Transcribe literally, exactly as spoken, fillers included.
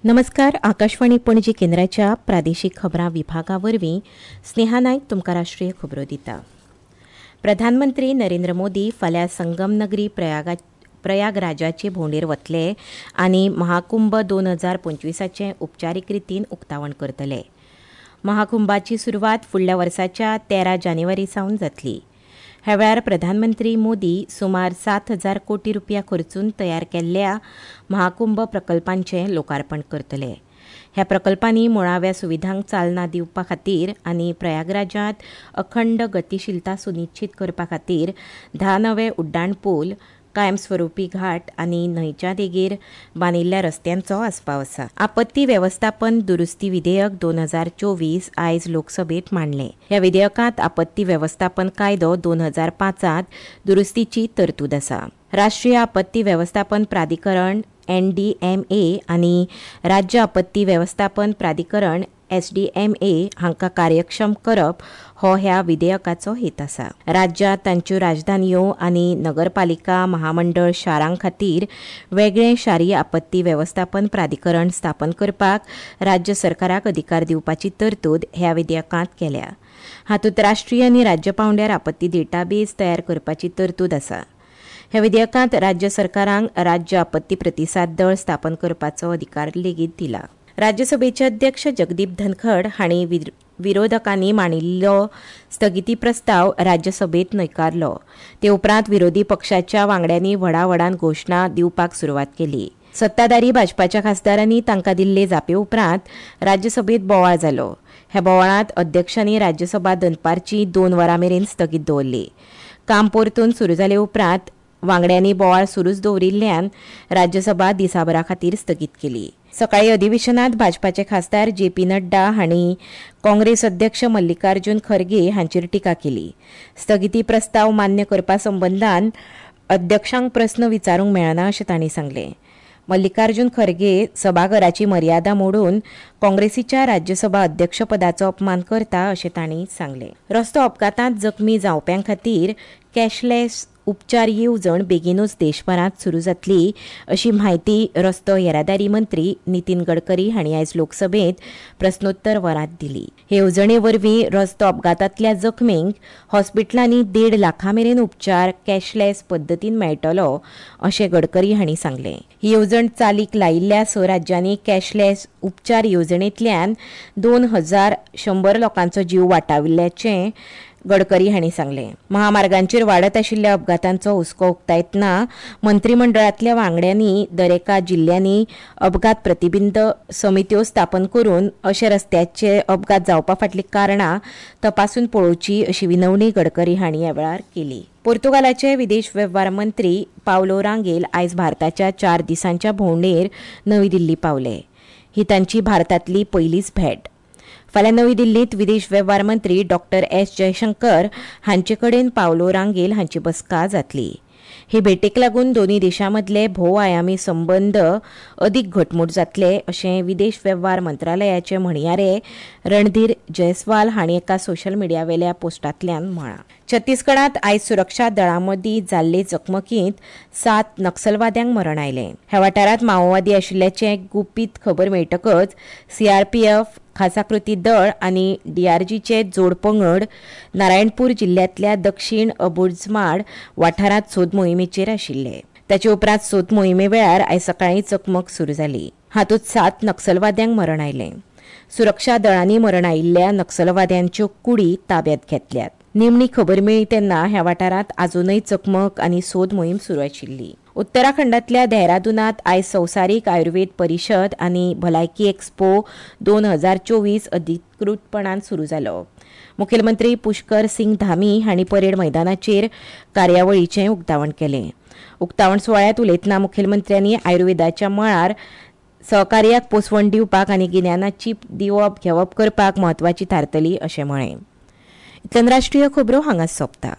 नमस्कार, आकाशवाणी पणजी केंद्राच्या प्रादेशीक खबरां विभागा वरवीं स्नेहा नायक तुमकां राष्ट्रीय खबरो दिता. प्रधानमंत्री नरेंद्र मोदी फाल्यां संगम नगरी प्रयागा प्रयागराजाचे भोंवडेर वतले आनी महाकुंभ दोन हजार पंचवीसाचें उपचारीक रितीन उक्तावण करतले. महाकुंभाची सुरवात फुडल्या वर्साच्या तेरा जानेवारी सावन जातली. ह्या वेळार प्रधानमंत्री मोदी सुमार सात हजार कोटी रुपया खर्चून तयार केल्ल्या महाकुंभ प्रकल्पांचें लोकार्पण करतले. ह्या प्रकल्पांनी मुळाव्या सुविधांक चालना दिवपा खातीर आनी प्रयागराजांत अखंड गतिशीलता सुनिश्चित करपा खातीर धा नवे उड्डाण पूल, कायमस्वरूपी घाट आनी न्हंयच्या देगेर बांदिल्ल्या रस्त्यांचो आस्पाव आसा. आपत्ती वेवस्थापन दुरुस्ती विधेयक दोन हजार चोवीस आयज लोकसभेत मांडलें. ह्या विधेयकांत आपत्ती वेवस्थापन कायदो दोन हजार पांचांत दुरुस्तीची तरतूद आसा. राष्ट्रीय आपत्ती वेवस्थापन प्राधिकरण एन डी एम ए आनी राज्य आपत्ती वेवस्थापन प्राधिकरण एस डी एम ए हांकां कार्यक्षम करप हो ह्या विधेयकाचो हेत आसा. राज्यांत तांच्यो राजधानयो आनी नगरपालिका महामंडळ शारां खातीर वेगळें शारी आपत्ती वेवस्थापन प्राधिकरण स्थापन करपाक राज्य सरकाराक अधिकार दिवपाची तरतूद ह्या विधेयकांत केल्या. हातूंत राष्ट्रीय आनी राज्य पांवड्यार आपत्ती डेटाबेस तयार करपाची तरतूद आसा. ह्या विधेयकांत राज्य सरकारांक राज्य आपत्ती प्रतिसाद दळ स्थापन करपाचो अधिकार लेगीत दिला. राज्यसभेचे अध्यक्ष जगदीप धनखड हांणी विरोधकांनी मांडिल्लो स्थगिती प्रस्ताव राज्यसभेत न्हयकारलो. ते उपरांत विरोधी पक्षाच्या वांगड्यांनी व्हडा व्हडान घोशणा दिवपाक सुरवात केली. सत्ताधारी भाजपाच्या खासदारांनी तांकां दिल्ले जापे उपरांत राज्यसभेत बोवाळ जालो. ह्या बोवाळांत अध्यक्षांनी राज्यसभा दनपारची दोन वरां मेरेन स्थगीत दवरली. काम परतून सुरू जाले उपरांत वांगड्यांनी बोवाळ सुरूच दवरिल्ल्यान राज्यसभा दिसाभरा खातीर स्थगीत केली. सकाळी अधिवेशनात भाजपाचे खासदार जे पी नड्डा हांणी काँग्रेस अध्यक्ष मल्लिकार्जुन खरगे हांचेर टिका केली. स्थगिती प्रस्ताव मान्य करपा संबंदान अध्यक्षांक प्रस्न विचारूंक मेळना अशें तांणी सांगलें. मल्लिकार्जुन खरगे सभाघराची मर्यादा मोडून काँग्रेसीच्या राज्यसभा अध्यक्षपदाचो अपमान करता अशें तांणी सांगलें. रस्तो अपघातांत जखमी जावप्यां खातीर कॅशलेस उपचार येवजण बेगीनूच देशभरांत सुरू जातली अशी म्हायती रस्तो येरादारी मंत्री नितीन गडकरी हांणी आयज लोकसभेत प्रस्नोत्तर वरांत दिली. हे येवजणे वरवीं रस्तो अपघातांतल्या जखमींक हॉस्पिटलांनी देड लाखां मेरेन उपचार कॅशलेस पद्दतीन मेळटलो अशें गडकरी हांणी सांगलें. ही येवजण चालीक लायिल्ल्या स राज्यांनी कॅशलेस उपचार येवजणेंतल्यान दोन हजार शंबर लोकांचो जीव वाटाविल्ल्याचें गडकरी हांणी सांगलें. महामार्गांचेर वाडत आशिल्ल्या अपघातांचो हुस्को उक्तायतना मंत्रीमंडळांतल्या वांगड्यांनी दरेका जिल्ल्यांनी अपघात प्रतिबिंब समित्यो स्थापन करून अशे रस्त्याचे अपघात जावपा फाटलीं कारणां तपासून पळोवची अशी विनवणी गडकरी हांणी ह्या वेळार केली. पोर्तुगालाचे विदेश वेव्हार मंत्री पावलो रांगेल आयज भारताच्या चार दिसांच्या भोंवडेर नवी दिल्ली पावले. ही तांची भारतांतली पयलीच भेट. फाल्यां नवी दिल्लींत विदेश वेव्हार मंत्री डॉक्टर एस जयशंकर हांचे कडेन पावलो रांगेल हांची बसका जातली. हे भेटेक लागून दोनूय देशां मदले भोवआयामी संबंद अदीक घटमूट जातले अशें विदेश वेव्हार मंत्रालयाचे म्हणयारे रणधीर जयस्वाल हांणी एका सोशल मिडियावेल्या पोस्टांतल्यान म्हळां. छत्तीसगडांत आयज सुरक्षा दळां मदीं जाल्ले चकमकींत सात नक्षलवाद्यांक मरण आयलें. ह्या वाठारांत माओवादी आशिल्ल्याचें गुपीत खबर मेळटकच सीआरपीएफ, खासा कृती दळ आनी डीआरजीचे जोड पंगड नारायणपूर जिल्ल्यांतल्या दक्षिण अबुझमाड वाठारांत सोद मोहिमेचेर आशिल्ले. ताचे उपरांत सोद मोहिमे वेळार आयज सकाळीं चकमक सुरू जाली. हातूंत सात नक्षलवाद्यांक मरण आयलें. सुरक्षा दळांनी मरण आयिल्ल्या नक्षलवाद्यांच्यो कुडी ताब्यांत घेतल्यात. निमणी खबर मेळ्ळी तेन्ना ह्या वाठारांत आजूनय चकमक आनी सोद मोहीम सुरू आशिल्ली. उत्तराखंडांतल्या देहरादूनांत आयज संवसारीक आयुर्वेद परिशद आनी भलायकी एक्स्पो दोन हजार चोवीस अधिकृतपणान सुरू जालो. मुखेलमंत्री पुष्कर सिंग धामी हांणी परेड मैदानाचेर कार्यावळीचें उक्तावण केलें. उक्तावण सुवाळ्यांत उलयतना मुखेलमंत्र्यांनी आयुर्वेदाच्या मळार सहकार्याक पोसवण दिवपाक आनी गिन्यानाची दिवप घेवप करपाक म्हत्वाची थारतली अशें म्हळें. इतल्यान राष्ट्रीय खबरो हांगाच सोंपता.